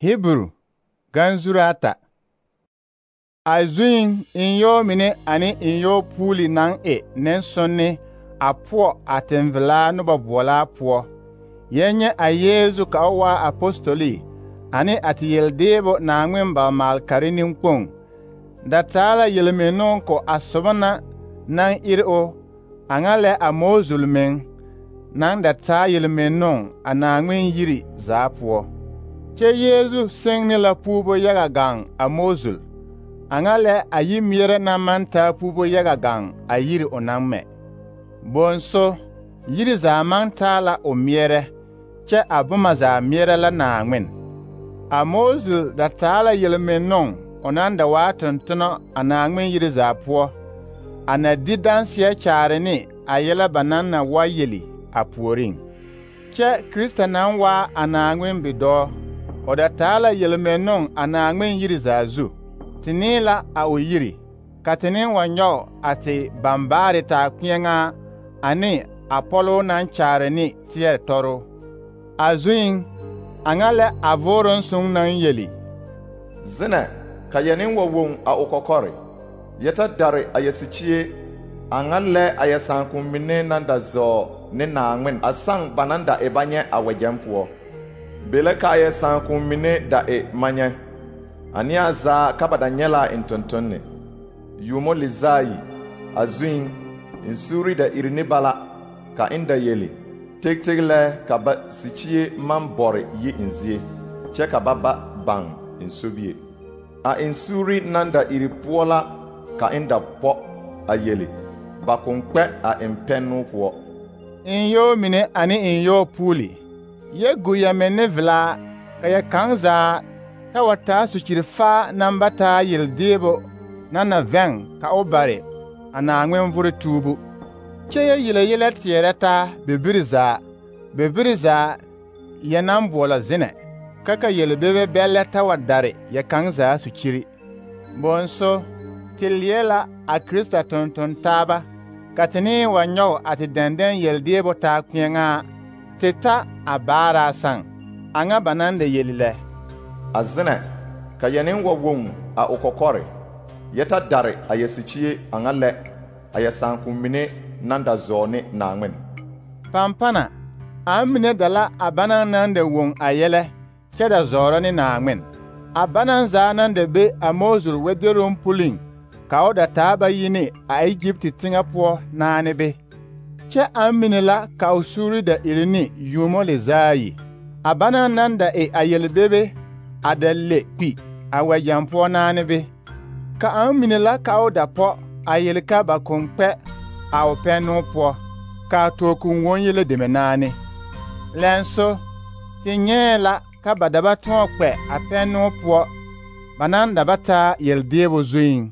Hebrew ganzurata. A zuin inyɔɔ mine ane inyɔɔ puuli naŋ e nensɔnne a poɔ a tenvelaa noba boɔlaa poɔ. Yɛn nyɛ a Yeezu ka o waa apostoli ane a te yeldeebo Naaŋmen balmaalkare nenkpoŋ. Da taa la yelmennoo ko a soba na naŋ ire o a ŋa lɛ a Moozul meŋ naŋ da taa yelmennoo a Naaŋmen yiri zaa poɔ. Kyɛ Yeezu seŋ ne la puubo yaga gaŋ a Moozul, a ŋa lɛ a yimɛrɛ naŋ maŋ taa puubo yaga gaŋ a yiri o naŋ mɛ. Bonso, yiri zaa maŋ taa la o meɛrɛ, kyɛ a boma zaa meɛrɛ la Naaŋmen. A Moozul da taa la yelmennoo o naŋ da waa tontonɔ a Naaŋmen yiri zaa poɔ, a na di danseɛ kyaare ne a yɛlɛ ba naŋ na wa yeli a puoriŋ. Kyɛ Krista naŋ waa a Naaŋmen bidɔɔ, o da taa la yelmennoo a Naaŋmen yiri zaa zu. Te nee la a o yiri, ka te ne wa nyɔge a te bambaare taa kpeɛŋaa ane a pɔloo naŋ kyaare ne teɛ tɔroo. A zuiŋ, a ŋa lɛ a vooroŋ soŋ naŋ yeli: Zenɛ, ka yɛ nen wa woŋ a o kɔkɔre, yɛ ta dare a yɛ sikyie, a ŋa lɛ a yɛ sããkoŋ mine naŋ da zɔɔ ne Naaŋmen a saŋ ba naŋ da e ba nyɛ a wɛgyɛŋ poɔ. Be la ka a yɛ sããkoŋ mine da e manyɛ, a neɛ zaa ka ba da nyɛ la a eŋ tontonne. Yuumo le zaayi, a zuiŋ, eŋ suuri da iri ne ba la, ka eŋ da yeli, teg lɛ ka ba sikyie maŋ bɔre yi eŋ zie, kyɛ ka ba ba baŋ eŋ sobie. A eŋ suuri naŋ da iri poɔ la ka eŋ da pɔ a yeli, ba koŋ kpɛ a eŋ pɛnnoo poɔ. Inyɔɔ mine ane inyɔɔ puuli, yɛ gu yɛ menne velaa, ka yɛ kaŋ zaa ta wa taa sokyiri-faa naŋ ba taa yeldeebo na na vɛŋ ka o bare a Naaŋmen vore tuubu. Kyɛ yɛ yele yɛlɛ teɛrɛ taa bebiri zaa yɛ naŋ boɔlɔ Zenɛ, ka yelbebe bɛllɛ ta wa dare yɛ kaŋ zaa sokyiri. Bonso, te leɛ la a Krista tonton taaba, ka te ne wa nyɔge a te dɛndɛn yeldeebo taa kpeɛŋaa, te ta a baaraa saŋ. A ŋa ba naŋ da yeli lɛ: A Zenɛ, ka yɛ nen wa woŋ a o kɔkɔre, yɛ ta dare a yɛ sikyie a ŋa lɛ a yɛ sããkoŋ mine naŋ da zɔɔ ne Naaŋmen. Pampana, a mine da la a banaŋ naŋ da woŋ a yɛlɛ kyɛ da zɔɔrɔ ne Naaŋmen. A banaŋ zaa naŋ da be a Moozul wɛderoŋ puliŋ ka o da taa ba yi ne a Egypti teŋɛ poɔ naane be. Kyɛ a mine la ka o suuri da iri ne yuumo le zaayi. A banaŋ naŋ da e a yelbebe a da le kpi a wɛgyɛŋ poɔ naane be. Ka a mine la ka o da pɔ a yeli ka ba koŋ kpɛ a o pɛnnoo poɔ, ka a tookun woŋ yele deme naane. Lɛnso, te nyɛɛ la ka ba da ba tõɔ kpɛ a pɛnnoo poɔ ba naŋ da ba taa yeldeebo zuiŋ.